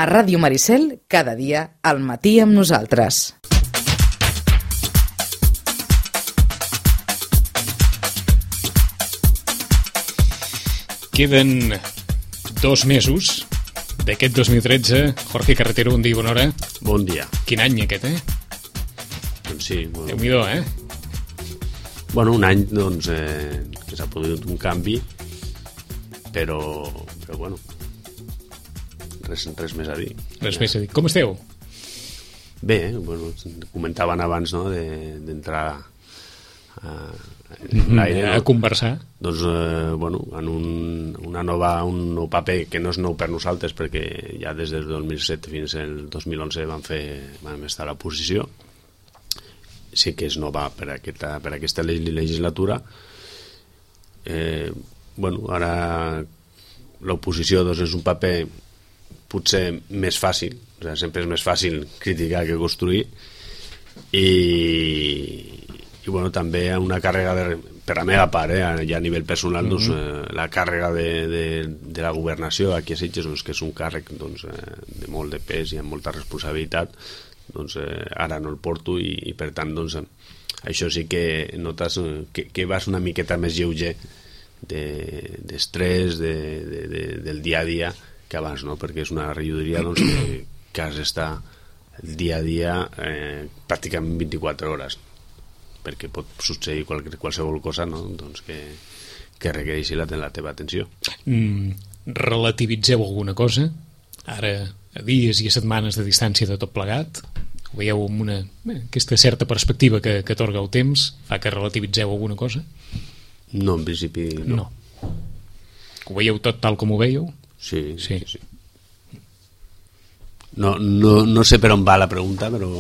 A Ràdio Maricel, cada dia al matí amb nosaltres. Queden 2 mesos d'aquest 2013. Jorge Carretero, bon dia i bona hora. Bon dia. Quin any aquest, Doncs sí. Bueno, Déu-n'hi-do, Bueno, un any, doncs, que s'ha produït un canvi, però bueno, res més a dir. Res més a dir. Com esteu? Bé, bueno, comentaven abans, no?, d'entrar en l'aire, a conversar. Doncs, bueno, en un nou paper que no és nou per nosaltres, perquè ja des del 2007 fins al 2011 vam estar a la posició. Sí que és nova per aquesta legislatura. Bueno, ara l'oposició, doncs, és un paper potser més fàcil, o sigui, sempre és més fàcil criticar que construir, i bueno, també una càrrega per la meva part, ja a nivell personal, doncs, la càrrega de la governació aquí a Sitges, doncs, que és un càrrec, doncs, de molt de pes i amb molta responsabilitat, doncs, ara no el porto, i per tant, doncs, això sí que notes que vas una miqueta més lleuger d'estrès del dia a dia que abans, no? Perquè és una regidoria, doncs, que has d'estar el dia a dia pràcticament 24 hores, perquè pot succeir qualsevol cosa, no?, doncs, que requereixi la teva atenció. Relativitzeu alguna cosa? Ara, a dies i a setmanes de distància de tot plegat, ho veieu amb aquesta certa perspectiva que atorga el temps, fa que relativitzeu alguna cosa? No, en principi no. Ho veieu tot tal com ho veieu? Sí. No sé per on va la pregunta, però...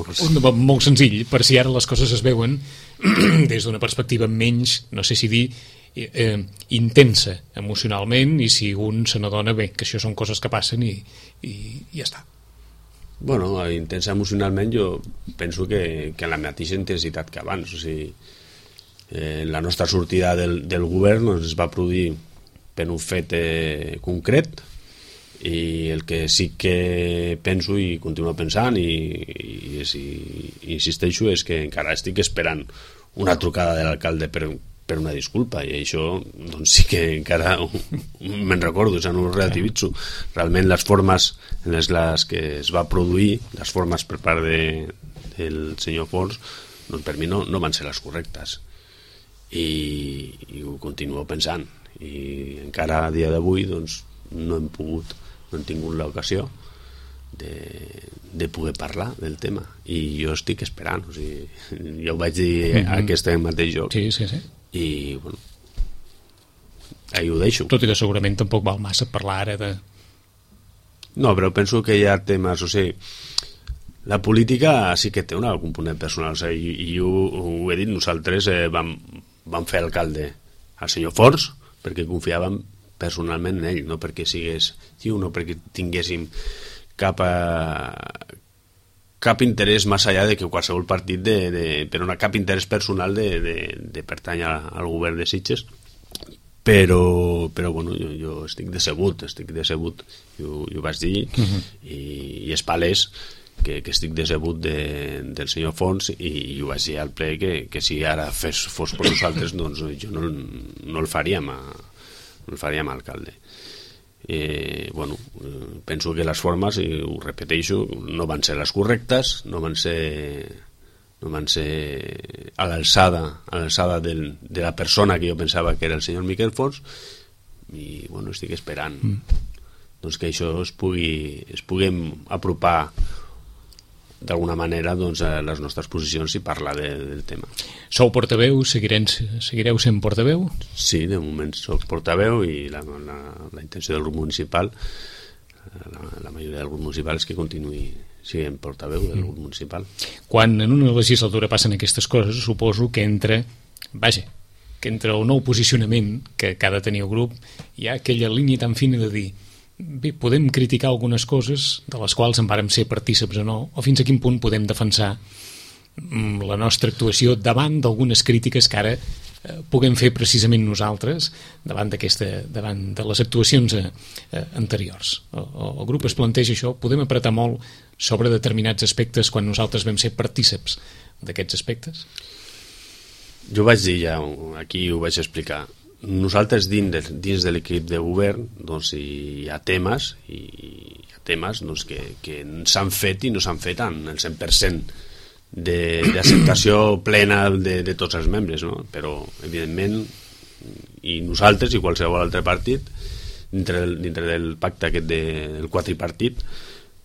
Molt senzill, per si ara les coses es veuen des d'una perspectiva menys, no sé si dir, intensa emocionalment, i si un se n'adona bé que això són coses que passen i ja està. Bueno, intensa emocionalment jo penso que en la mateixa intensitat que abans. O sigui, la nostra sortida del govern, doncs, es va produir per un fet concret, i el que sí que penso i continuo pensant i insisteixo és que encara estic esperant una trucada de l'alcalde per una disculpa, i això, doncs, sí que encara me'n recordo, o sigui, no ho relativitzo. Realment les formes en les que es va produir, les formes per part del senyor Fons, doncs per mi no van ser les correctes, i ho continuo pensant, i encara a dia d'avui, doncs, no hem tingut l'ocasió de poder parlar del tema, i jo estic esperant. O sigui, jo ho vaig dir aquest mateix joc. Sí. I bueno, ahí ho deixo. Tot i que segurament tampoc val massa parlar ara de... No, però penso que hi ha temes, o sigui, la política sí que té un component personal, o sigui, i ho he dit, nosaltres vam fer alcalde al senyor Forns perquè confiàvem personalment en ell, no perquè sigués xiu, no perquè tinguéssim cap interès més enllà de que qualsevol partit però no cap interès personal de pertany al govern de Sitges, però bueno, jo estic decebut, i ho vaig dir, i és palès que estic decebut del senyor Fons, i ho vaig dir al ple que si ara fos per nosaltres, doncs jo no el faríem alcalde. Bueno, penso que les formes, i ho repeteixo, no van ser les correctes, no van ser a l'alçada de la persona que jo pensava que era el senyor Miquel Fons, i bueno, estic esperant doncs, que això es pugui apropar d'alguna manera, doncs, a les nostres posicions i parlar del tema. Sou portaveu? Seguireu sent portaveu? Sí, de moment soc portaveu, i la intenció del grup municipal, la majoria del grup municipal, és que continuï sent portaveu del grup municipal. Quan en una legislatura passen aquestes coses, suposo que entre el nou posicionament que ha de tenir el grup, hi ha aquella línia tan fina de dir: bé, podem criticar algunes coses de les quals en vàrem ser partíceps o no, o fins a quin punt podem defensar la nostra actuació davant d'algunes crítiques que ara puguem fer precisament nosaltres davant de les actuacions anteriors. El grup es planteja això, podem apretar molt sobre determinats aspectes quan nosaltres vam ser partíceps d'aquests aspectes? Jo vaig dir ja, aquí ho vaig explicar, nosaltres dins de l'equip de govern doncs, hi ha temes doncs, que s'han fet i no s'han fet en el 100% d'acceptació plena de tots els membres, no? Però evidentment i nosaltres i qualsevol altre partit dintre del pacte aquest del quadripartit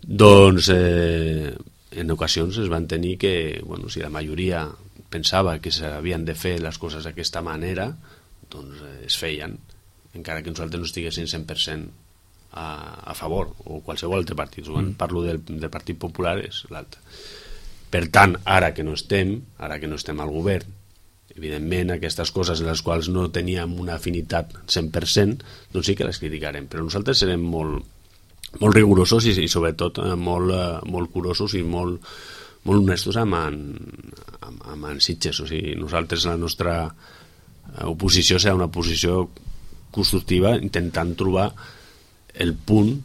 doncs en ocasions es van tenir que, bueno, si la majoria pensava que s'havien de fer les coses d'aquesta manera, doncs es feien, encara que nosaltres no estiguessin 100% a favor, o qualsevol altre partit. Parlo del Partit Popular, és l'altre. Per tant, ara que no estem al govern, evidentment aquestes coses en les quals no teníem una afinitat 100%, doncs sí que les criticarem, però nosaltres serem molt rigorosos i sobretot molt curosos i molt honestos amb en Sitges. O sigui, nosaltres la nostra oposició serà una oposició constructiva intentant trobar el punt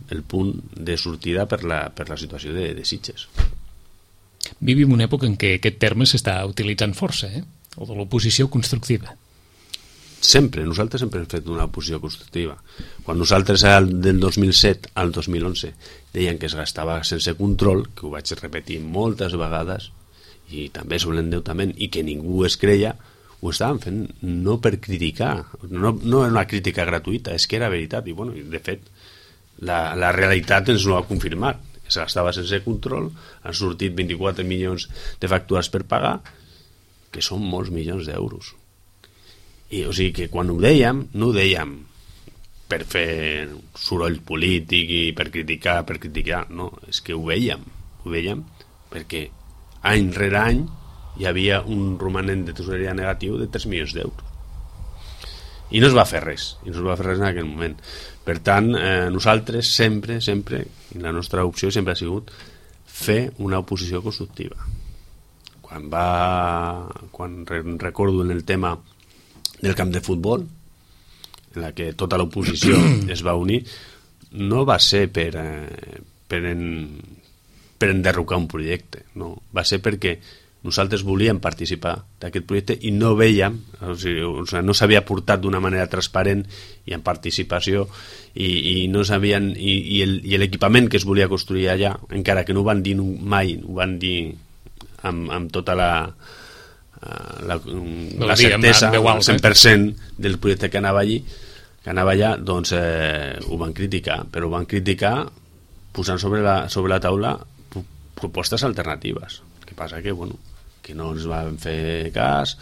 de sortida per la situació de Sitges. Vivim una època en què aquest terme s'està utilitzant força, el de l'oposició constructiva. Nosaltres sempre hem fet una oposició constructiva. Quan nosaltres del 2007 al 2011 deien que es gastava sense control, que ho vaig repetir moltes vegades, i també sobre l'endeutament, i que ningú es creia, ho estàvem fent no per criticar, no era una crítica gratuïta, és que era veritat, i bueno, de fet la realitat ens ho ha confirmat. Es gastava sense control, han sortit 24 milions de factures per pagar, que són molts milions d'euros. I, o sigui que quan ho dèiem, no ho dèiem per fer soroll polític i per criticar, no, és que ho veiem perquè any rere any hi havia un romanent de tesoreria negatiu de 3 milions d'euros. I no es va fer res en aquell moment. Per tant, nosaltres sempre, i la nostra opció sempre ha sigut fer una oposició constructiva. Quan recordo en el tema del camp de futbol, en la que tota l'oposició es va unir, no va ser per enderrocar un projecte, no, va ser perquè nosaltres volíem participar d'aquest projecte i no veiem, o sigui, no s'havia portat d'una manera transparent i en participació i no sabien, i l'equipament que es volia construir allà, encara que no ho van dir mai, ho van dir amb tota la certesa, el 100% del projecte que anava allà, doncs ho van criticar, però ho van criticar posant sobre la taula propostes alternatives. El que passa que, bueno, que no ens van fer cas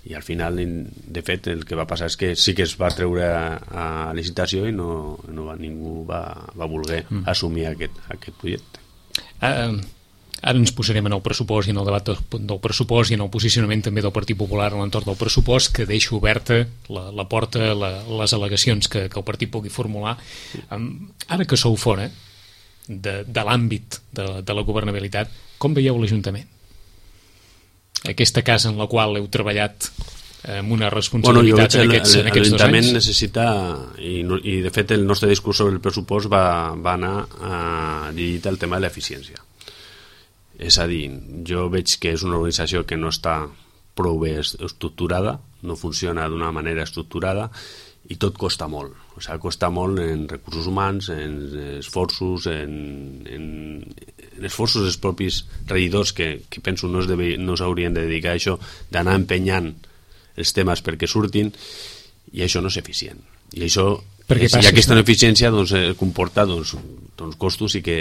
i al final, de fet, el que va passar és que sí que es va treure a licitació i ningú va voler assumir aquest projecte. Ara ens posarem en el pressupost i en el debat del pressupost i en el posicionament també del Partit Popular a l'entorn del pressupost, que deixa oberta la porta a les al·legacions que el partit pugui formular. Ara que sou fora de l'àmbit de la governabilitat, com veieu l'Ajuntament? Aquesta casa en la qual heu treballat amb una responsabilitat en aquests 2 anys? L'Ajuntament necessita, i de fet el nostre discurs sobre el pressupost va anar dirigit al tema de l'eficiència. És a dir, jo veig que és una organització que no està prou bé estructurada, no funciona d'una manera estructurada i tot costa molt. O sigui, costa molt en recursos humans, en esforços, en esforços dels propis regidors que penso no s'haurien de dedicar a això, d'anar empenyant els temes perquè surtin, i això no és eficient. I això, i aquesta ineficiència comporta costos i que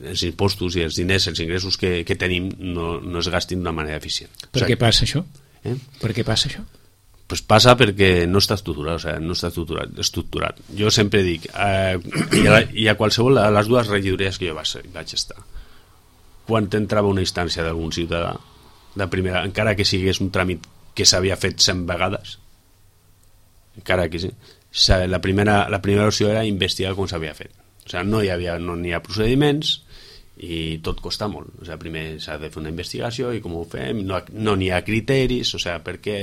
els impostos i els diners, els ingressos que tenim no es gastin d'una manera eficient. Per què passa això? Per què passa això? Pues passa perquè no està estructurat, o sigui, no està estructurat. Jo sempre dic, i a qualsevol de les 2 regidories que jo vaig estar, quan entrava una instància d'algun ciutadà, de primera, encara que sigués un tràmit que s'havia fet 100 vegades, encara que sí, la primera opció era investigar com s'havia fet. O sigui, no n'hi ha procediments i tot costa molt. O sigui, primer s'ha de fer una investigació i com ho fem, no n'hi ha criteris, o sigui, per què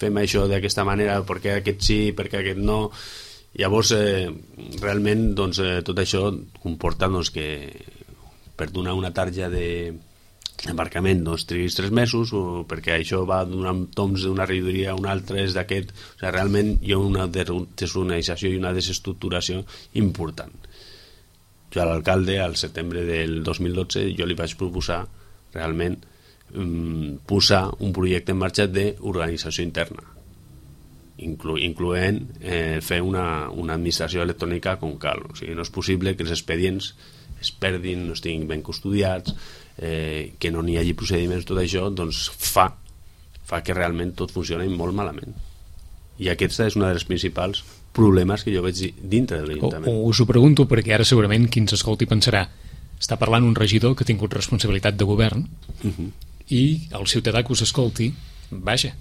fem això d'aquesta manera, perquè aquest sí, perquè aquest no. Llavors, realment, doncs, tot això comporta doncs, que per donar una tarja d'embarcament doncs, triguis 3 mesos, o perquè això va donant toms d'una regidoria a una altra, és d'aquest. O sigui, realment hi ha una desorganització i una desestructuració important. Jo a l'alcalde, al setembre del 2012, jo li vaig proposar realment posar un projecte en marxa d'organització interna, incloent fer una administració electrònica com cal. O sigui, no és possible que els expedients es perdin, no estiguin ben custodiats, que no n'hi hagi procediments. Tot això doncs, fa que realment tot funcioni molt malament. I aquesta és una dels principals problemes que jo veig dintre de l'Ajuntament. Us ho pregunto perquè ara segurament qui ens escolti pensarà, està parlant un regidor que ha tingut responsabilitat de govern, i el ciutadà que us escolti, vaja,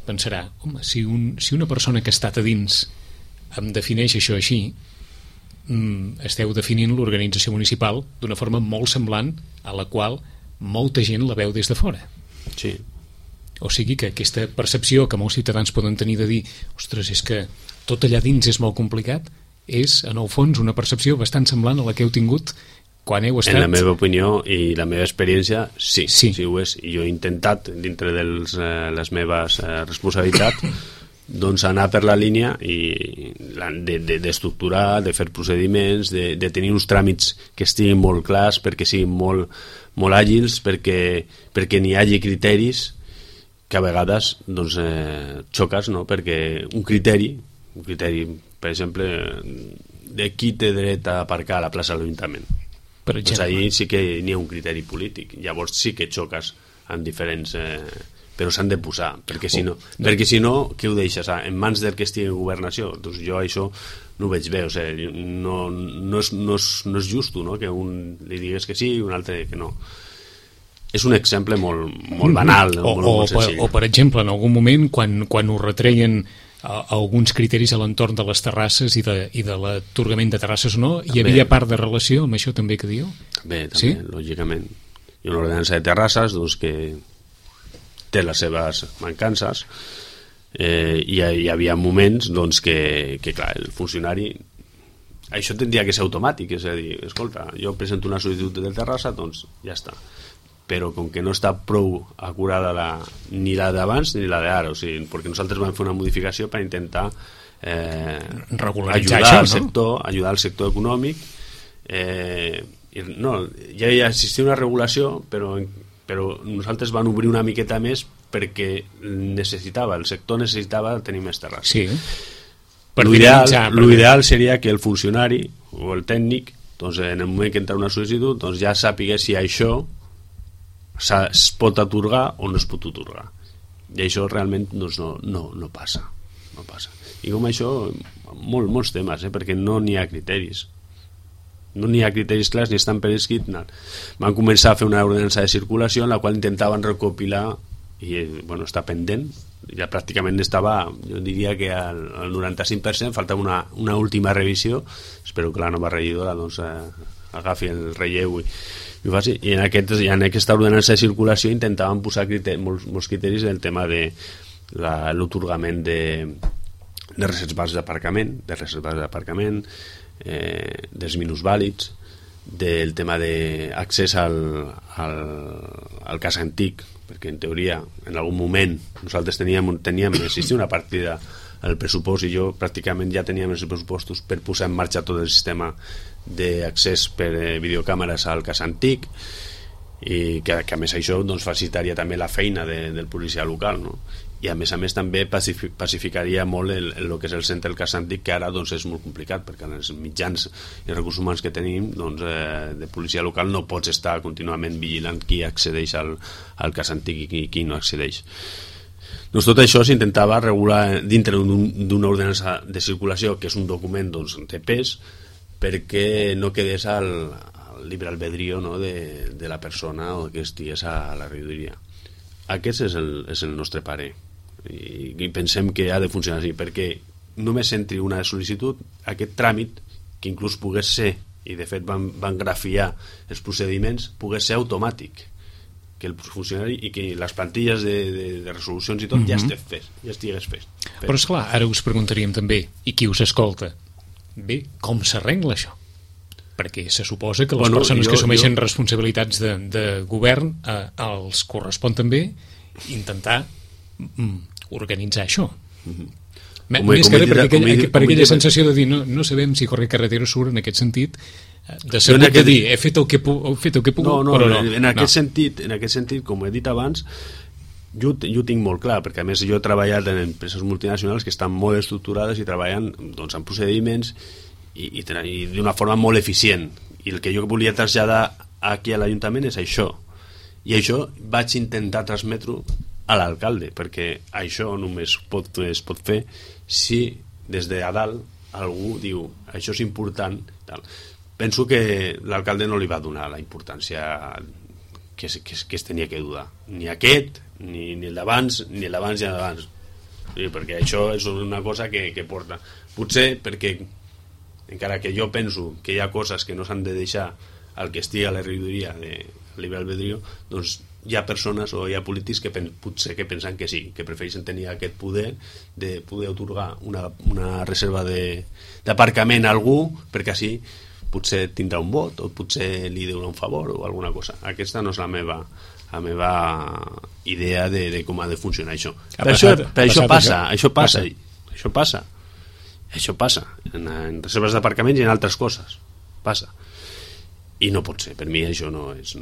pensarà, home, si una persona que ha estat a dins em defineix això així, esteu definint l'organització municipal d'una forma molt semblant a la qual molta gent la veu des de fora. Sí. O sigui que aquesta percepció que molts ciutadans poden tenir de dir, ostres, és que tot allà dins és molt complicat, és, en el fons, una percepció bastant semblant a la que heu tingut quan heu estat... En la meva opinió i la meva experiència, sí ho és. I jo he intentat, dintre de les meves responsabilitats, doncs anar per la línia d'estructurar, de fer procediments, de tenir uns tràmits que estiguin molt clars, perquè siguin molt àgils, perquè n'hi hagi criteris que a vegades doncs, xoques, no? Perquè un criteri, per exemple, de qui té dret a aparcar a la plaça de l'Ajuntament. Per exemple. Doncs ahir sí que n'hi ha un criteri polític, llavors sí que xoques amb diferents... però s'han de posar, perquè si no, què ho deixes? En mans del que estigui en governació? Doncs jo això no ho veig bé, o sigui, no és justo, no? Que un li digués que sí i un altre que no. És un exemple molt banal, molt senzill. O per exemple, en algun moment, quan us retreien alguns criteris a l'entorn de les terrasses i de l'atorgament de terrasses o no, hi havia part de relació amb això també que diu? També, lògicament. Hi ha una ordenança de terrasses doncs, que té les seves mancances, i hi havia moments doncs, que clar, el funcionari, això tindria que ser automàtic, és a dir, escolta, jo presento una sol·licitud de terrassa, doncs ja està, però com que no està prou acurada ni la d'abans ni la d'ara, o sigui, perquè nosaltres vam fer una modificació per intentar regularitzar ajudar al sector econòmic, no, ja existia una regulació, però nosaltres vam obrir una miqueta més perquè el sector necessitava tenir més terrasses. Sí. L'ideal seria que el funcionari o el tècnic, doncs, en el moment que entra una sol·licitud, doncs, ja sàpigués si això es pot atorgar o no es pot atorgar, i això realment doncs, no passa. I com això molts temes, perquè no n'hi ha criteris clars ni estan per escrit. Van començar a fer una ordenança de circulació en la qual intentaven recopilar, i està pendent, ja pràcticament estava, jo diria que al 95%, faltava una última revisió. Espero que la nova regidora doncs, agafi el relleu i en aquesta ordenança de circulació intentaven posar molts criteris del tema de l'atorgament de reservats d'aparcament, dels minusvàlids, del tema d'accés al cas antic, perquè en teoria en algun moment nosaltres existia una partida al pressupost, i jo pràcticament ja teníem els pressupostos per posar en marxa tot el sistema d'accés per videocàmeres al cas antic, i que a més això doncs, facilitaria també la feina del policia local, no? I a més també pacificaria molt el que és el centre del cas antic, que ara doncs, és molt complicat, perquè en els mitjans i recursos humans que tenim doncs, de policia local no pots estar contínuament vigilant qui accedeix al cas antic i qui no accedeix. Doncs tot això s'intentava regular dintre d'una ordenança de circulació, que és un document doncs, de pes, perquè no quedés al llibre albedrío, no, de la persona o que estigués a la regidoria. Aquest és el nostre parer, i pensem que ha de funcionar així, perquè només entri una sol·licitud, aquest tràmit, que inclús pogués ser, i de fet van grafiar els procediments, pogués ser automàtic, que el funcionari i que les plantilles de resolucions i tot ja estigués fet. Però esclar, ara us preguntaríem també, i qui us escolta? Bé, com s'arregla això? Perquè se suposa que les persones que assumeixen responsabilitats de govern els correspon també intentar organitzar això. Més que res per aquella sensació de dir no sabem si Jorge Carretero surt en aquest sentit de segur de dir he fet el que he pogut, però no. En aquest sentit, com he dit abans, jo ho tinc molt clar, perquè a més jo he treballat en empreses multinacionals que estan molt estructurades i treballen doncs, en procediments i d'una forma molt eficient, i el que jo volia traslladar aquí a l'Ajuntament és això, i això vaig intentar transmetre a l'alcalde, perquè això només es pot fer si des de a dalt algú diu això és important, tal. Penso que l'alcalde no li va donar la importància que es tenia que donar, ni aquest ni el d'abans, ni el d'abans i el d'abans, sí, perquè això és una cosa que porta, potser perquè encara que jo penso que hi ha coses que no s'han de deixar al que estigui a la regidoria de libre albedrío, doncs hi ha persones o hi ha polítics que potser que pensen que sí, que prefereixen tenir aquest poder de poder atorgar una reserva d'aparcament a algú perquè així potser tindrà un vot o potser li deurà un favor o alguna cosa. Aquesta no és la meva idea de com ha de funcionar això. Això passa en reserves d'aparcaments i en altres coses passa, i no pot ser, per mi això no és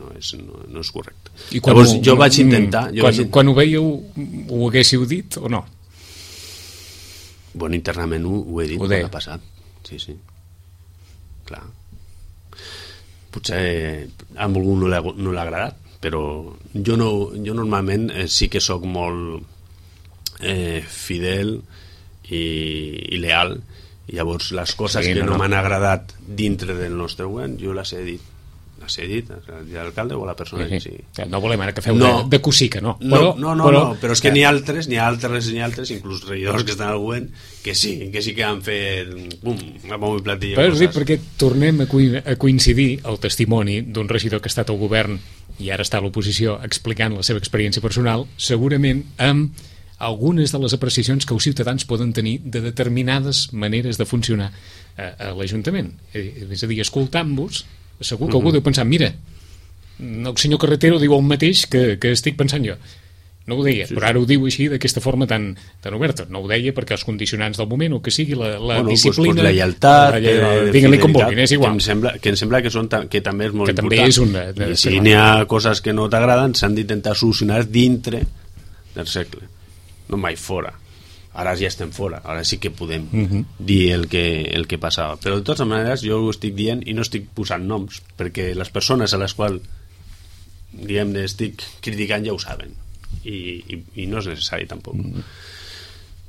correcte. Llavors jo vaig intentar quan ho veieu ho haguéssiu dit o no? Bueno, internament ho he dit quan ha passat, sí, clar, potser a algú no l'ha agradat, però jo normalment sí que sóc molt fidel i leal, i llavors les coses que no m'han agradat dintre del nostre govern jo les he dit l'alcalde o la persona que sigui. No volem ara que feu de cosica, no? Però és que n'hi ha altres, inclús regidors que estan al govern, que sí que han fet bombo i platillo. Però sí, perquè tornem a coincidir el testimoni d'un regidor que ha estat al govern i ara està a l'oposició explicant la seva experiència personal, segurament amb algunes de les apreciacions que els ciutadans poden tenir de determinades maneres de funcionar a l'Ajuntament. És a dir, escoltant-vos, segur que algú deu pensar, mira, el senyor Carretero diu el mateix que estic pensant jo. No ho deia, però ara ho diu així d'aquesta forma tan oberta. No ho deia perquè els condicionants del moment, o que sigui la disciplina, la lleialtat, diguin-li com vulguin, és igual. Que em sembla que també és molt important. I si n'hi ha coses que no t'agraden, s'han d'intentar solucionar dintre del cercle, no mai fora. Ara ja estem fora, ara sí que podem dir el que passava, però de totes maneres jo ho estic dient i no estic posant noms, perquè les persones a les quals diguem-ne estic criticant ja ho saben, i no és necessari tampoc.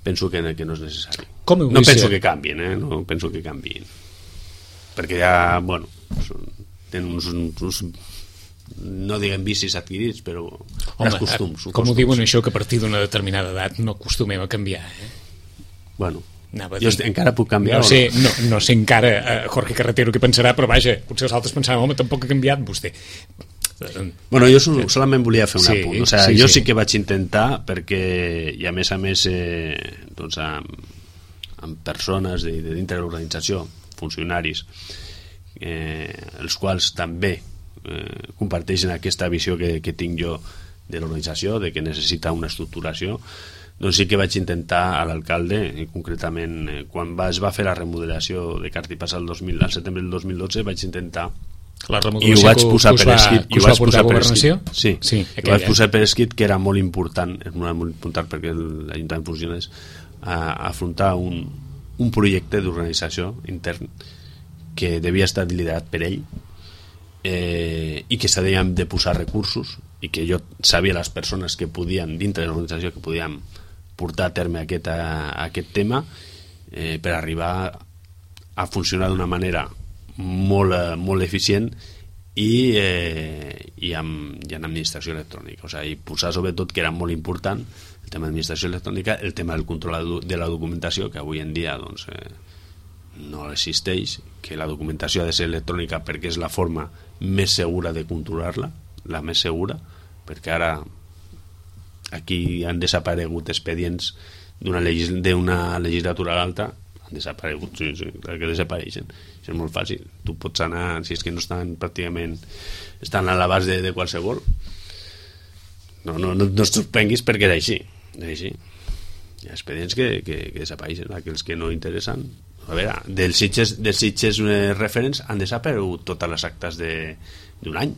Penso que no és necessari. No penso que canvien, no penso que canvien, perquè ja, bueno, tenen uns no diguem vicis adquirits, però els costums. Com ho diuen això, que a partir d'una determinada edat no acostumem a canviar, Bueno, jo encara puc canviar no sé encara Jorge Carretero què pensarà, però vaja, potser els altres pensaran, home, tampoc ha canviat vostè. Bueno, jo solament volia fer un apunt, jo sí que vaig intentar, perquè i a més doncs amb persones de dintre de l'organització, funcionaris, els quals també comparteixen aquesta visió que tinc jo de l'organització, de que necessita una estructuració, doncs sí que vaig intentar a l'alcalde, concretament quan es va fer la remodelació de Cartipàs al setembre del 2012, vaig intentar i ho vaig posar per escrit, vaig posar per escrit que era molt important, perquè l'Ajuntament funciona, afrontar un projecte d'organització intern que devia estar liderat per ell, i que s'havien de posar recursos, i que jo sabia les persones que podien dintre de l'organització que podien portar a terme aquest tema per arribar a funcionar d'una manera molt eficient i amb administració electrònica, i posar sobretot, que era molt important, el tema d'administració electrònica, el tema del control de la documentació, que avui en dia doncs no existeix, que la documentació ha de ser electrònica perquè és la forma més segura de controlar-la, la més segura, perquè ara aquí han desaparegut expedients d'una legislatura a l'altra, han desaparegut, sí, clar que desapareixen. Això és molt fàcil, tu pots anar, si és que no estan pràcticament, estan a l'abast de qualsevol. No et sorprenguis perquè és així. Hi ha expedients que desapareixen, aquells que no interessen. A veure, dels Sitges referents han desaparegut totes les actes d'un any.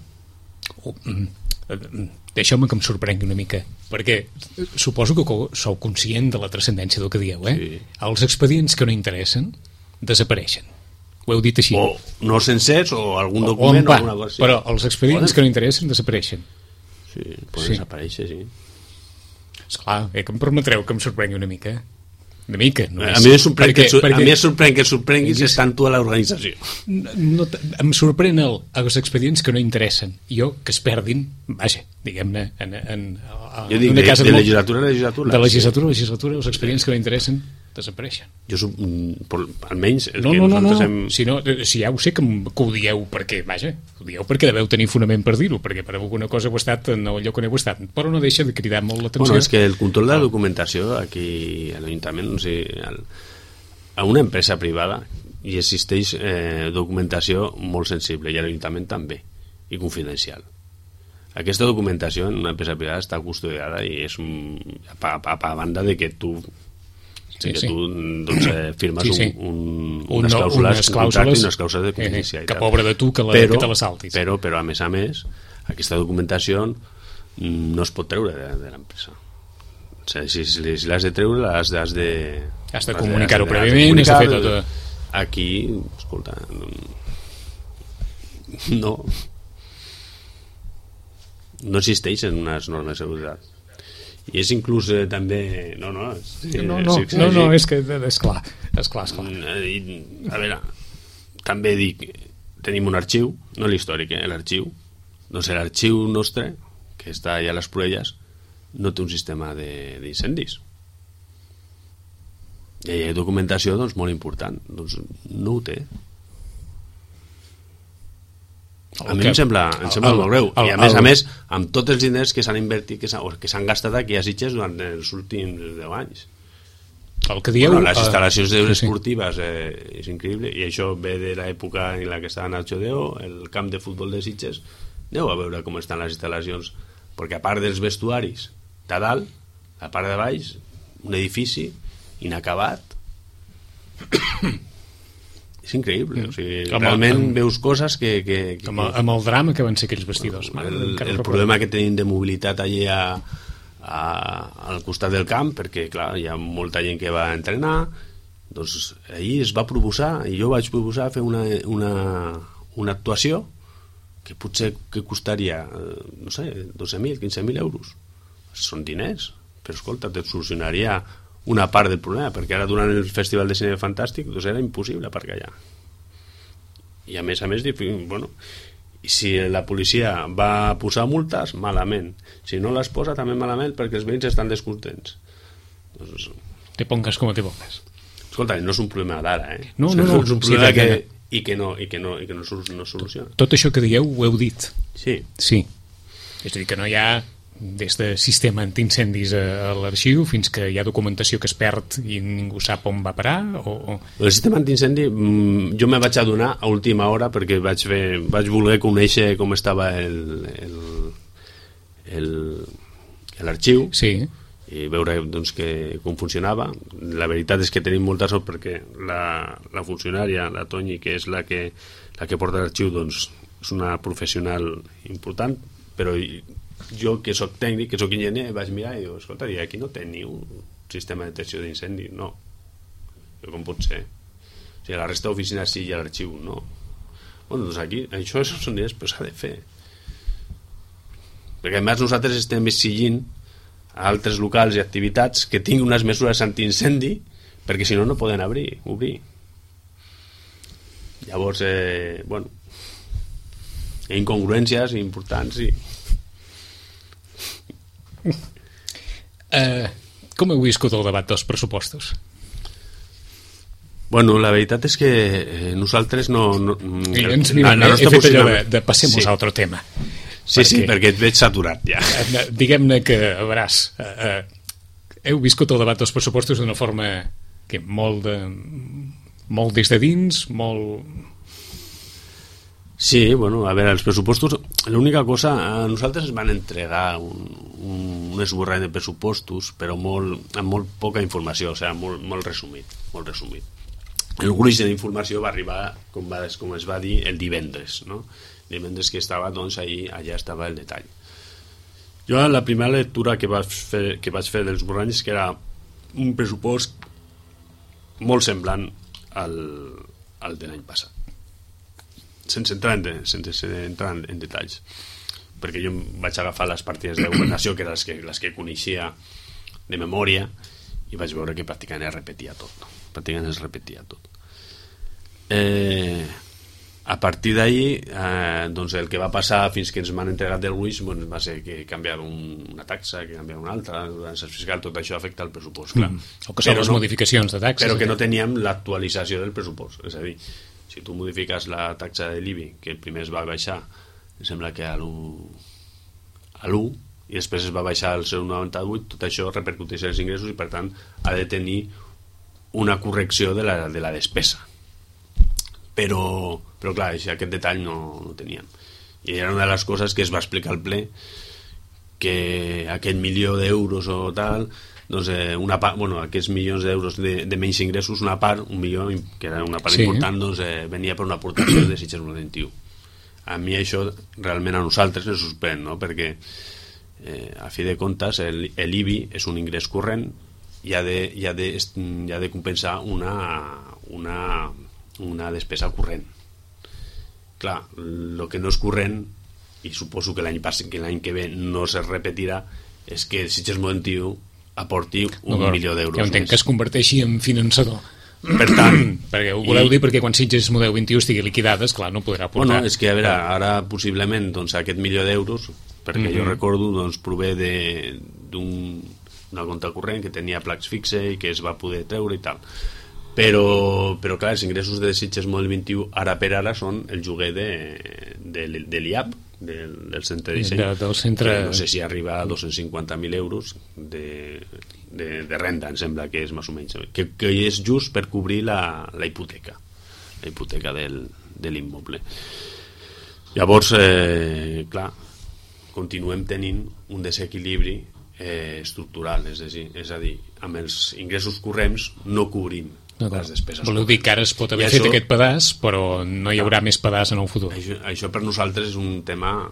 Deixeu-me que em sorprengui una mica, perquè suposo que sou conscient de la transcendència del que dieu, eh? Sí. Els expedients que no interessen desapareixen. Ho heu dit així. O no sencers, o algun document, o alguna cosa així. Però els expedients que no interessen desapareixen. Sí, poden desaparèixer, sí. Esclar, que em permetreu que em sorprengui una mica. Una mica. No a mi em sorprèn que et sorprenguis estant tu a l'organització. No, em sorprèn els expedients que no interessen. Jo, que es perdin, vaja, diguem-ne, jo dic, de legislatura a legislatura. De legislatura a legislatura, els expedients que no interessen desapareixen. Almenys el que nosaltres hem... Si ja ho sé que ho dieu perquè, vaja, ho dieu perquè deveu tenir fonament per dir-ho, perquè per alguna cosa heu estat en el lloc on heu estat, però no deixa de cridar molt l'atenció. Bueno, és que el control de la documentació aquí a l'Ajuntament, no sé, a una empresa privada hi existeix documentació molt sensible, i a l'Ajuntament també, i confidencial. Aquesta documentació en una empresa privada està custodiada i és a banda de que tu firmes unes clàusules i unes clàusules de confidencialitat. Que pobre de tu que te la saltis. Però a més, aquesta documentació no es pot treure de l'empresa. O sigui, si l'has de treure, has de comunicar-ho prèviament, has de fer tot. Aquí, escolta, no existeixen unes normes de seguretat. I és inclús també... és que és clar. A veure, també dic, tenim un arxiu, no l'històric, l'arxiu. Doncs l'arxiu nostre, que està allà a les Proelles, no té un sistema d'incendis. I hi ha documentació molt important, doncs no ho té. A mi em sembla molt greu. I a més, amb tots els diners que s'han invertit, que s'han gastat aquí a Sitges durant els últims 10 anys. El que dieu... Les instal·lacions esportives és increïble, i això ve de l'època en la que estava Nacho Deo, el camp de futbol de Sitges. Aneu a veure com estan les instal·lacions, perquè a part dels vestuaris de dalt, a part de baix, un edifici inacabat. És increïble, o sigui, realment veus coses que... Amb el drama que van ser aquells vestidors. El problema que tenim de mobilitat allà al costat del camp, perquè clar, hi ha molta gent que va entrenar, doncs ahir es va proposar, i jo vaig proposar fer una actuació que potser que costaria, no sé, 12.000, 15.000 euros. Són diners, però escolta, et solucionaria una part del problema, perquè ara durant el Festival de Cinema Fantàstic doncs era impossible aparcar allà. I a més, bueno, i si la policia va posar multes, malament. Si no les posa, també malament, perquè els veïns estan descontents. Doncs... Te pongas como te pongas. Escolta, no és un problema d'ara, No. És un problema que no soluciona. Tot això que dieu ho heu dit. Sí. És a dir, que no hi ha des de sistema antiincendis a l'arxiu fins que hi ha documentació que es perd i ningú sap on va parar El sistema antiincendi jo me vaig adonar a última hora perquè vaig voler conèixer com estava l'arxiu i veure doncs, com funcionava. La veritat és que tenim molta sort perquè la funcionària, la Toñi, que és la que porta l'arxiu, doncs és una professional important, però jo que soc tècnic, que soc enginyer, vaig mirar i dic, escolta, aquí no té ni un sistema de detecció d'incendi, no. Com pot ser? O sigui, a la resta d'oficines sí i a l'arxiu no. Bueno, doncs aquí, això són diners, però s'ha de fer. Perquè a més nosaltres estem exigint a altres locals i activitats que tinguin unes mesures antiincendi, perquè si no, no poden obrir. Llavors, bueno, hi ha incongruències importants i... Com heu viscut el debat dels pressupostos? Bueno, la veritat és que nosaltres no... He fet allò de passemos a otro tema. Sí, perquè et veig saturat ja. Diguem-ne que, a veuràs, heu viscut el debat dels pressupostos d'una forma que molt des de dins, molt... Sí, bueno, a veure, els pressupostos, l'única cosa, a nosaltres ens van entregar un esborrany de pressupostos, però amb molt poca informació, o sigui, molt resumit. El gruix d'informació va arribar, com es va dir, el divendres, no? El divendres que estava, doncs, allà estava el detall. Jo, la primera lectura que vaig fer dels esborranys, que era un pressupost molt semblant al de l'any passat. Sense entrar en detalls, perquè jo vaig agafar les partides de governació, que eren les que coneixia de memòria, i vaig veure que pràcticament es repetia tot. A partir d'ahí, doncs el que va passar fins que ens m'han entregat del gruix, doncs va ser que canviar una taxa, que canviar una altra, l'herència fiscal, tot això afecta el pressupost, clar. O que són les modificacions de taxes. Però que no teníem l'actualització del pressupost, és a dir, si tu modifiques la taxa de l'IBI, que el primer es va baixar, em sembla que a l'1, i després es va baixar al 0,98, tot això repercuteix en els ingressos i per tant ha de tenir una correcció de la despesa. Però clar, aquest detall no teníem. I era una de les coses que es va explicar al ple, que aquest milió d'euros o tal, doncs una part, aquests milions d'euros de menys ingressos, una part, un milió, que era una part important, doncs venia per una aportació de Sitges 21. A mi això realment a nosaltres ens sorprèn, no? Perquè a fi de comptes l'IBI és un ingrés corrent i ha de compensar una despesa corrent. Clar, el que no és corrent, i suposo que l'any que ve no se repetirà, és que Sitges 21 aporti un milió d'euros. Jo entenc que es converteixi en finançador. Per tant... perquè ho voleu dir perquè quan Sitges Model 21 estigui liquidada, esclar, no podrà aportar... Bueno, és que, a veure, ara possiblement doncs, aquest milió d'euros, perquè jo recordo, doncs, prové d'una compte corrent que tenia placs fixe i que es va poder treure i tal. Però clar, els ingressos de Sitges Model 21 ara per ara són el lloguer de l'IAP, del centre de disseny, del centre... que no sé si arriba a 250.000 euros de renda, em sembla que és més o menys, que és just per cobrir la hipoteca de l'immoble. Llavors, clar, continuem tenint un desequilibri estructural, és a dir, amb els ingressos corrents no cobrim les despeses. Voleu dir que ara es pot haver fet aquest pedaç, però no hi haurà més pedaç en el futur. Això per nosaltres és un tema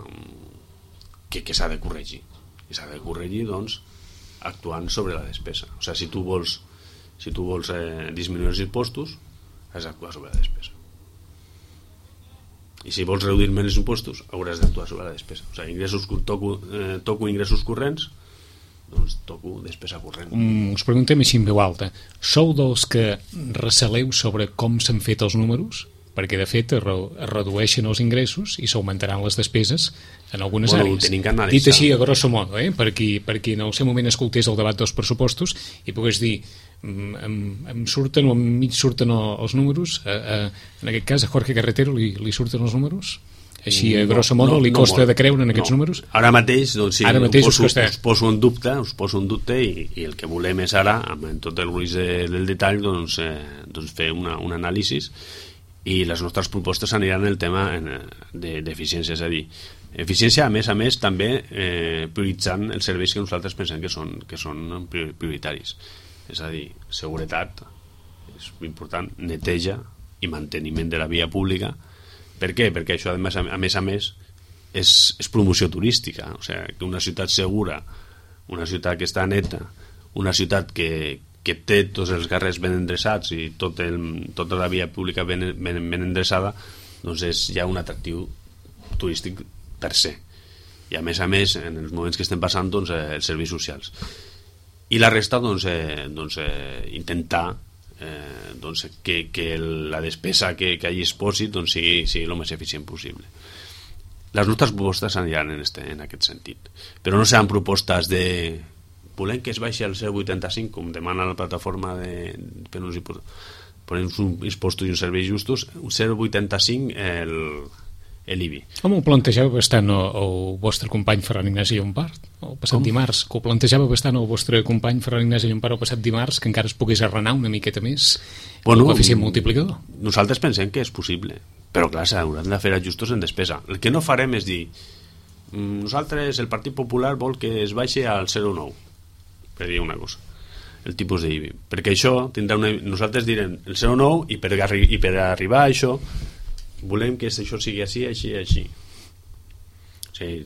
que s'ha de corregir. I s'ha de corregir, doncs, actuant sobre la despesa. O sigui, si tu vols disminuir els impostos, has d'actuar sobre la despesa. I si vols reduir menys els impostos, hauràs d'actuar sobre la despesa. O sigui, toco ingressos corrents, doncs toco despesa corrent. Us preguntem així en veu alta. Sou dels que receleu sobre com s'han fet els números? Perquè, de fet, es redueixen els ingressos i s'augmentaran les despeses en algunes àrees. Dit així, a grosso modo, per qui en el seu moment escoltés el debat dels pressupostos i pogués dir em surten o mig surten els números, en aquest cas a Jorge Carretero li surten els números? Així, a grosso modo, li costa de creure en aquests números? Ara mateix, doncs sí, us poso en dubte i el que volem és ara, amb tot el gruix del detall, doncs fer un anàlisi i les nostres propostes aniran en el tema d'eficiència, és a dir, eficiència, a més, també prioritzant els serveis que nosaltres pensem que són prioritaris. És a dir, seguretat, és important, neteja i manteniment de la via pública. Per què? Perquè això, a més, és promoció turística. O sigui, que una ciutat segura, una ciutat que està neta, una ciutat que té tots els carrers ben endreçats i tota la via pública ben endreçada, doncs és ja un atractiu turístic per se. I a més, en els moments que estem passant, doncs, els serveis socials. I la resta, intentar que la despesa que allí es posi sigui el més eficient possible. Les nostres propostes aniran en aquest sentit, però no seran propostes de volem que es baixi al 0,85 com demana la plataforma per uns impostos i uns serveis justos. Un 0,85 l'IBI. Com ho plantejava bastant el vostre company Ferran Ignasi Llompart el passat dimarts? Que ho plantejava bastant el vostre company Ferran Ignasi Llompart el passat dimarts, que encara es pogués arrenar una miqueta més el coeficient multiplicador? Nosaltres pensem que és possible, però clar, s'hauran de fer ajustos en despesa. El que no farem és dir nosaltres, el Partit Popular vol que es baixi al 0,9, per dir una cosa, el tipus d'IBI, perquè això tindrà nosaltres direm el 0,9 i per arribar a això volem que això sigui així. O sigui,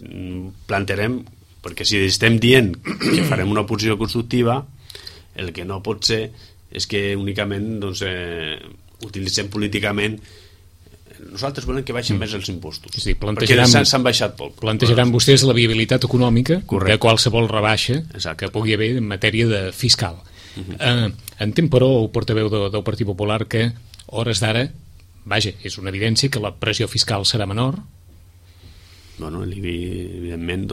plantejarem, perquè si estem dient que farem una oposició constructiva, el que no pot ser és que únicament utilitzem políticament. Nosaltres volem que baixin més els impostos, és dir, perquè s'han baixat poc. Plantejaran vostès la viabilitat econòmica de qualsevol rebaixa que pugui haver en matèria de fiscal. Entenc, però, el portaveu del Partit Popular que, hores d'ara, vaja, és una evidència que la pressió fiscal serà menor. Bueno, l'IBI, evidentment,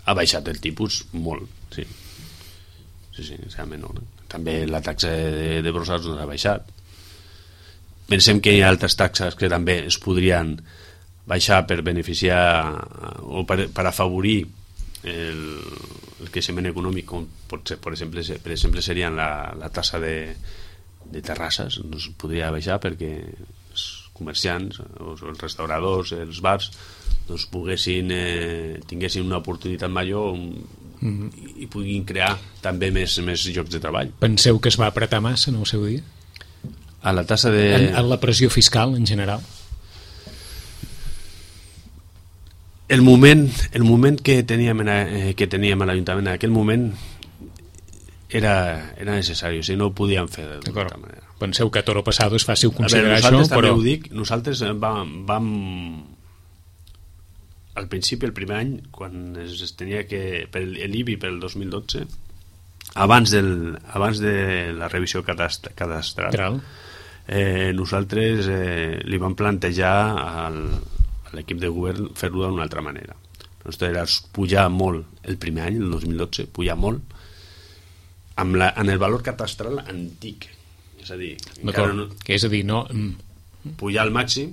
ha baixat el tipus molt, sí, serà menor. També la taxa de brossats ha baixat. Pensem que hi ha altres taxes que també es podrien baixar per beneficiar o per afavorir el creixement econòmic, com pot ser, per exemple serien la taxa de terrasses, no es podria baixar perquè els comerciants, els restauradors, els bars tinguessin una oportunitat major i puguin crear també més llocs de treball. Penseu que es va apretar massa en el seu dia? A la tassa de... En la pressió fiscal, en general? El moment que teníem a l'Ajuntament en aquell moment era necessari, o sigui, no ho podíem fer d'altra manera. Penseu que a toro passado és fàcil considerar això, però... Ho dic, nosaltres vam al principi, el primer any, quan es tenia que... per l'IBI per el 2012, abans de la revisió cadastral, nosaltres li vam plantejar a l'equip de govern fer-ho d'una altra manera. Nosaltres era pujar molt el primer any, el 2012, pujar molt en el valor catastral antic, és a dir, pujar al màxim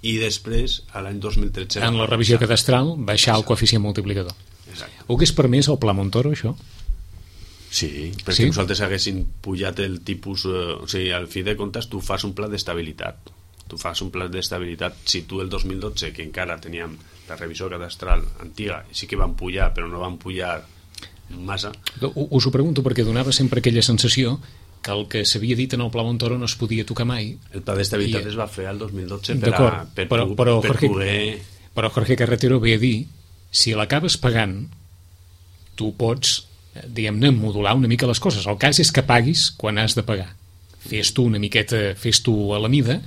i després a l'any 2013 en la revisió cadastral baixar el coeficient multiplicador. Exacte. Ho hagués permès el Pla Montoro, això? Sí, perquè nosaltres haguéssim pujat el tipus, o sigui, al fi de comptes tu fas un pla d'estabilitat. Si tu el 2012, que encara teníem la revisió cadastral antiga, sí que van pujar, però no van pujar massa. Us ho pregunto perquè donava sempre aquella sensació que el que s'havia dit en el Pla Montoro no es podia tocar mai. El pla d'estabilitat es va fer el 2012 per poder... Però Jorge Carretero ve a dir, si l'acabes pagant, tu pots, diguem-ne, modular una mica les coses. El cas és que paguis quan has de pagar. Fes tu una miqueta, fes tu a la mida,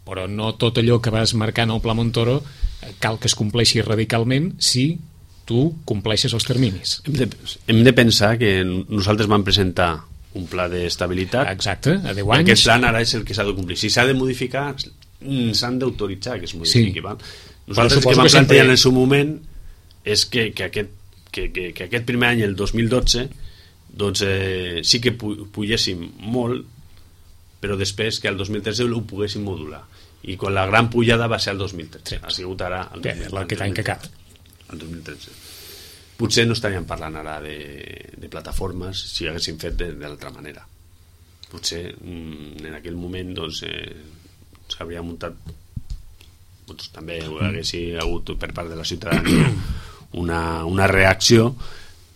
però no tot allò que vas marcant al Pla Montoro cal que es compleixi radicalment si tu compleixes els terminis. Hem de pensar que nosaltres vam presentar un pla d'estabilitat. Exacte, a 10 anys. Aquest plan ara és el que s'ha de complir. Si s'ha de modificar, s'han d'autoritzar que es modifiqui. Sí. Nosaltres el que vam plantejar en el seu moment és que aquest primer any, el 2012, doncs sí que pugéssim molt, però després que el 2013 ho poguéssim modular. I quan la gran pujada va ser el 2013. Ha sigut ara aquest any que acaba. El 2013. Potser no estaríem parlant ara de plataformes si haguéssim fet de l'altra manera. Potser en aquell moment s'hauria muntat, també haguessin hagut per part de la ciutadania una reacció,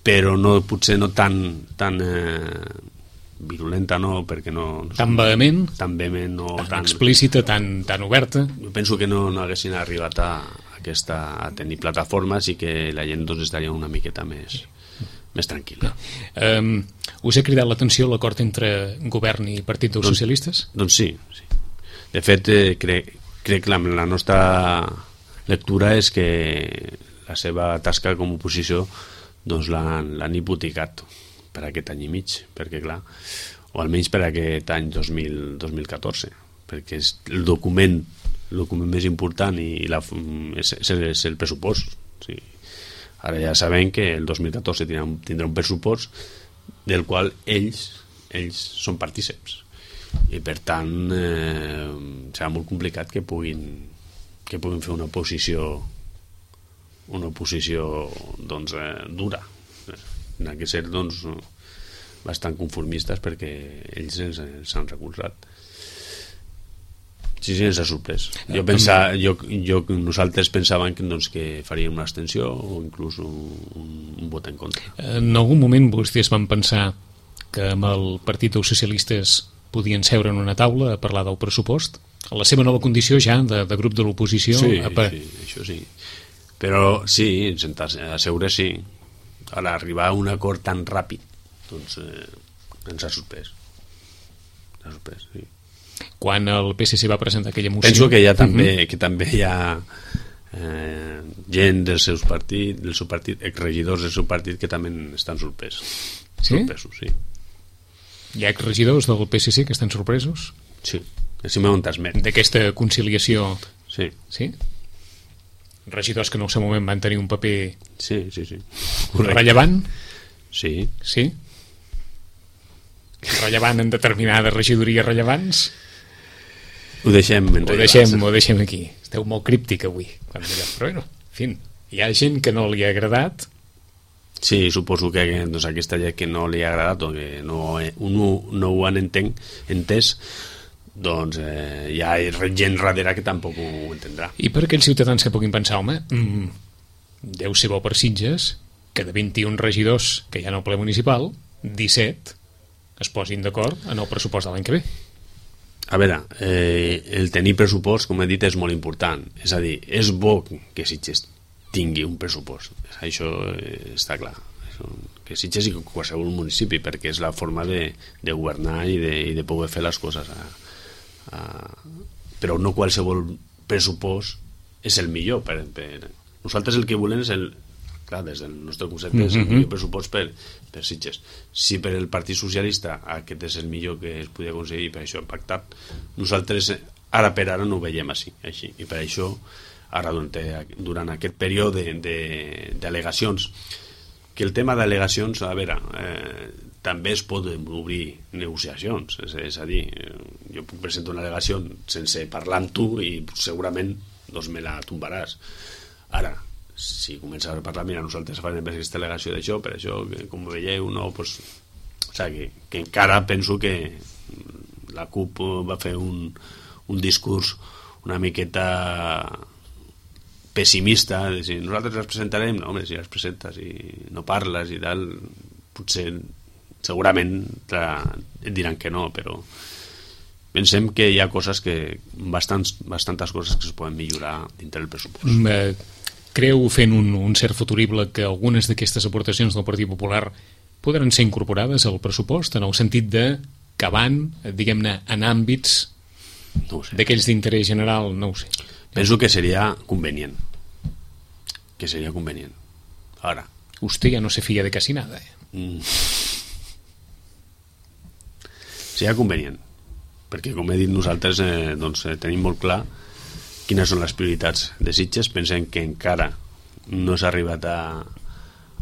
però potser no tan virulenta, no, perquè no tan vehement, tan explícita, tan oberta. Jo penso que no haguessin arribat a tenir plataformes i que la gent estaria una miqueta més tranquil·la. Us ha cridat l'atenció l'acord entre govern i Partit dels Socialistes? Doncs sí. De fet, crec que la nostra lectura és que la seva tasca com a oposició l'han hipotecat per aquest any i mig, perquè clar, o almenys per aquest any 2014, perquè és el document més important és el pressupost. Sí. Ara ja sabem que el 2014 tindrà un pressupost del qual ells són partíceps i per tant serà molt complicat que puguin puguin fer una oposició doncs, dura. Han de ser doncs, bastant conformistes perquè ells ens han recolzat. Sí, ens ha sorprès. Nosaltres pensàvem que faríem una abstenció o inclús un vot en contra. En algun moment vostès van pensar que amb el Partit dels Socialistes podien seure en una taula a parlar del pressupost? A la seva nova condició ja de grup de l'oposició? Sí, això sí. Però sí, a seure sí. Ara, arribar a un acord tan ràpid, doncs ens ha sorprès. Sí. Quan el PSC va presentar aquella moció... Penso que també hi ha gent del seu partit, exregidors del seu partit, que també estan sorpresos. Sí? Sorpresos, sí. Hi ha exregidors del PSC que estan sorpresos? Sí, així m'ho transmet. D'aquesta conciliació... Sí. Sí? Regidors que en el seu moment van tenir un paper... Sí. Rellevant? Sí. Sí? Rellevant en determinades regidories rellevants? Ho deixem aquí. Esteu molt críptic avui. Però bueno, en fi, hi ha gent que no li ha agradat. Sí, suposo que doncs, aquesta gent que no li ha agradat o que no ho han entès, doncs hi ha gent darrere que tampoc ho entendrà. I per aquells ciutadans que puguin pensar, home, deu ser bo per Sitges que de 21 regidors que hi ha en el ple municipal, 17 es posin d'acord en el pressupost de l'any que ve. A veure, el tenir pressupost, com he dit, és molt important. És a dir, és bo que Sitges tingui un pressupost. Això està clar. Que Sitges i qualsevol municipi, perquè és la forma de governar i de poder fer les coses. Però no qualsevol pressupost és el millor. Nosaltres el que volem és clar, des del nostre concepte és el millor pressupost per Sitges. Si per el Partit Socialista aquest és el millor que es podia aconseguir, per això hem pactat, nosaltres ara per ara no ho veiem així. I per això ara durant aquest període d'al·legacions, que el tema d'al·legacions, a veure, també es pot obrir negociacions, és a dir, jo puc presentar una al·legació sense parlar amb tu i segurament doncs me la tombaràs. Ara, si comença a parlar, mira, nosaltres farem aquesta al·legació d'això, per això, que, com veieu, no, pues, o sigui, que encara penso que la CUP va fer un discurs una miqueta pessimista, de si nosaltres les presentarem, no, home, si les presentes i no parles i tal, potser segurament et diran que no, però pensem que hi ha coses bastantes coses que es poden millorar dintre del pressupost. Creu, fent un cert futurible, que algunes d'aquestes aportacions del Partit Popular podran ser incorporades al pressupost, en el sentit de que van, diguem-ne, en àmbits d'aquells d'interès general? No ho sé. Penso que seria convenient. Ara. Usted ya no se fía de casi nada. Seria convenient. Perquè, com he dit, nosaltres doncs, tenim molt clar quines són les prioritats de Sitges. Pensem que encara no s'ha arribat a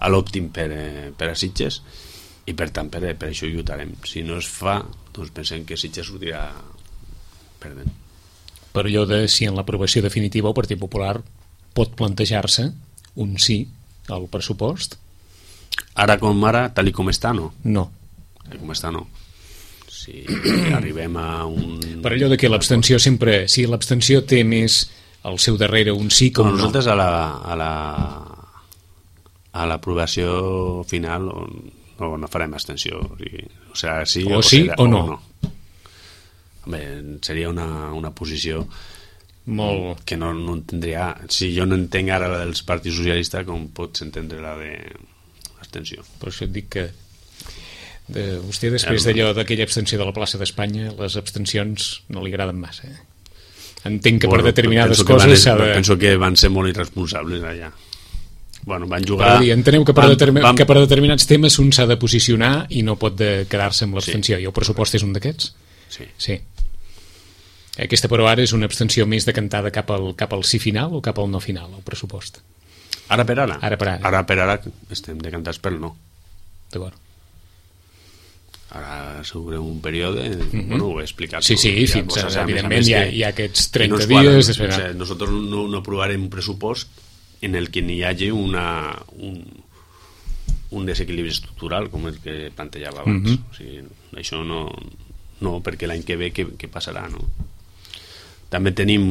l'òptim per a Sitges i per tant per això lluitarem. Si no es fa, doncs pensem que Sitges sortirà perdent. Per allò de si en l'aprovació definitiva el Partit Popular pot plantejar-se un sí al pressupost? Ara com ara, tal com està, no. No. Tal com està, no. Si arribem a un... Per allò de que l'abstenció sempre... Si l'abstenció té més al seu darrere un sí com no. Nosaltres a l'aprovació final no farem abstenció. O sigui, sí o sí o no. Home, seria una posició molt... que no entendria... Si jo no entenc ara la dels partits socialistes, com pots entendre la de l'abstenció? Per això et dic que vostè, després d'allò d'aquella abstenció de la plaça d'Espanya, les abstencions no li agraden massa. Entenc que per determinades coses penso que van ser molt irresponsables allà. Van jugar... Enteneu que per determinats temes un s'ha de posicionar i no pot quedar-se amb l'abstenció. I el pressupost és un d'aquests? Sí. Aquesta, però, ara és una abstenció més decantada cap al sí final o cap al no final, el pressupost? Ara per ara? Ara per ara estem decantats pel no. D'acord. Ara sobre un període, bueno, ho he explicat. Sí, fins a, evidentment, hi ha aquests 30 dies. Nosotros no aprovarem un pressupost en el que n'hi hagi un desequilibri estructural, com el que plantejava abans. O sigui, això no, perquè l'any que ve què passarà, no? També tenim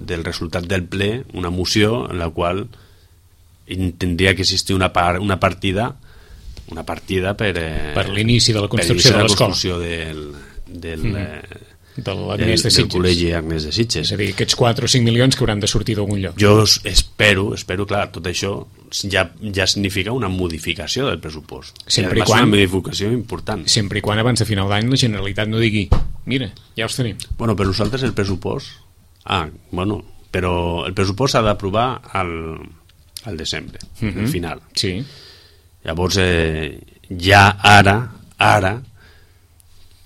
del resultat del ple una moció en la qual tindria que existir una partida per l'inici de la construcció de l'escola, del Col·legi Agnès de Sitges. És a dir, aquests 4 o 5 milions que hauran de sortir d'algun lloc. Jo espero, clar, tot això ja significa una modificació del pressupost. Sempre i quan, una modificació important. Sempre i quan abans de final d'any la Generalitat no digui, mira, ja els tenim. Bueno, per nosaltres el pressupost... però el pressupost s'ha d'aprovar al desembre, al final. Sí. Llavors, ja ara,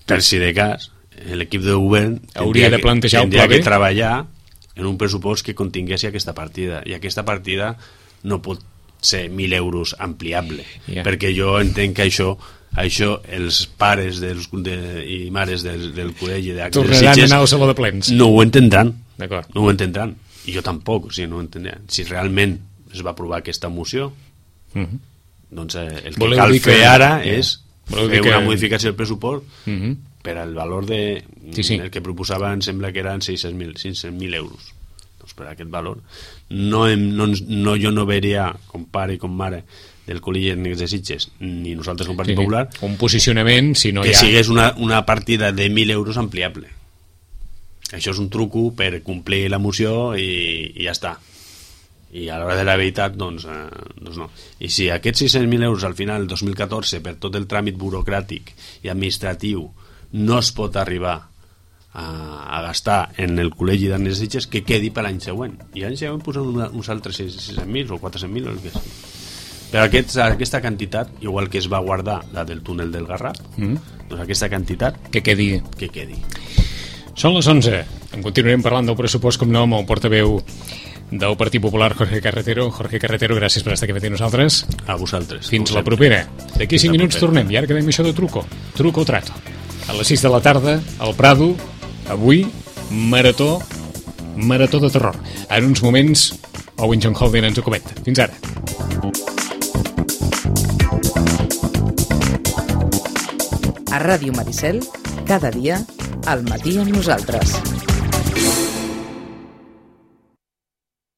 per si de cas, l'equip de govern hauria de plantejar un pla B, que treballar en un pressupost que contingués aquesta partida, i aquesta partida no pot ser 1.000 euros ampliable, perquè jo entenc que això els pares i mares del col·legi d'Agnès de Sitges tornaran a anar al saló de plens, no ho entendran. D'acord. No ho entendran, i jo tampoc, o sigui, no ho entendran. Si realment es va aprovar aquesta moció, doncs el que cal fer ara és fer una modificació del pressupost per al valor de... el que proposava em sembla que eren 600.000 euros. Doncs per aquest valor jo no veuria, com pare i com mare del Col·legi Agnès de Sitges, ni nosaltres com Partit Popular, un posicionament, si no que sigués una partida de 1.000 euros ampliable. Això és un truco per complir la moció i ja està. I a l'hora de la veritat, doncs no. I si aquests 600.000 euros al final, el 2014, per tot el tràmit burocràtic i administratiu, no es pot arribar a gastar en el Col·legi d'Agnès de Sitges, que quedi per l'any següent. I l'any següent posem uns altres 600.000 o 400.000 o el que sigui. Però aquesta quantitat, igual que es va guardar la del túnel del Garraf, doncs aquesta quantitat que quedi. Són les 11. En continuarem parlant del pressupost, com no, amb el portaveu del Partit Popular, Jorge Carretero. Jorge Carretero, gràcies per estar aquí amb nosaltres. A vosaltres. Fins la propera. D'aquí 5 minuts tornem, i ara quedem això de truco o trato. A les 6 de la tarda, al Prado, avui, marató de terror. En uns moments, Owen John Holden ens ho comenta. Fins ara. A Ràdio Maricel, cada dia, al matí amb nosaltres.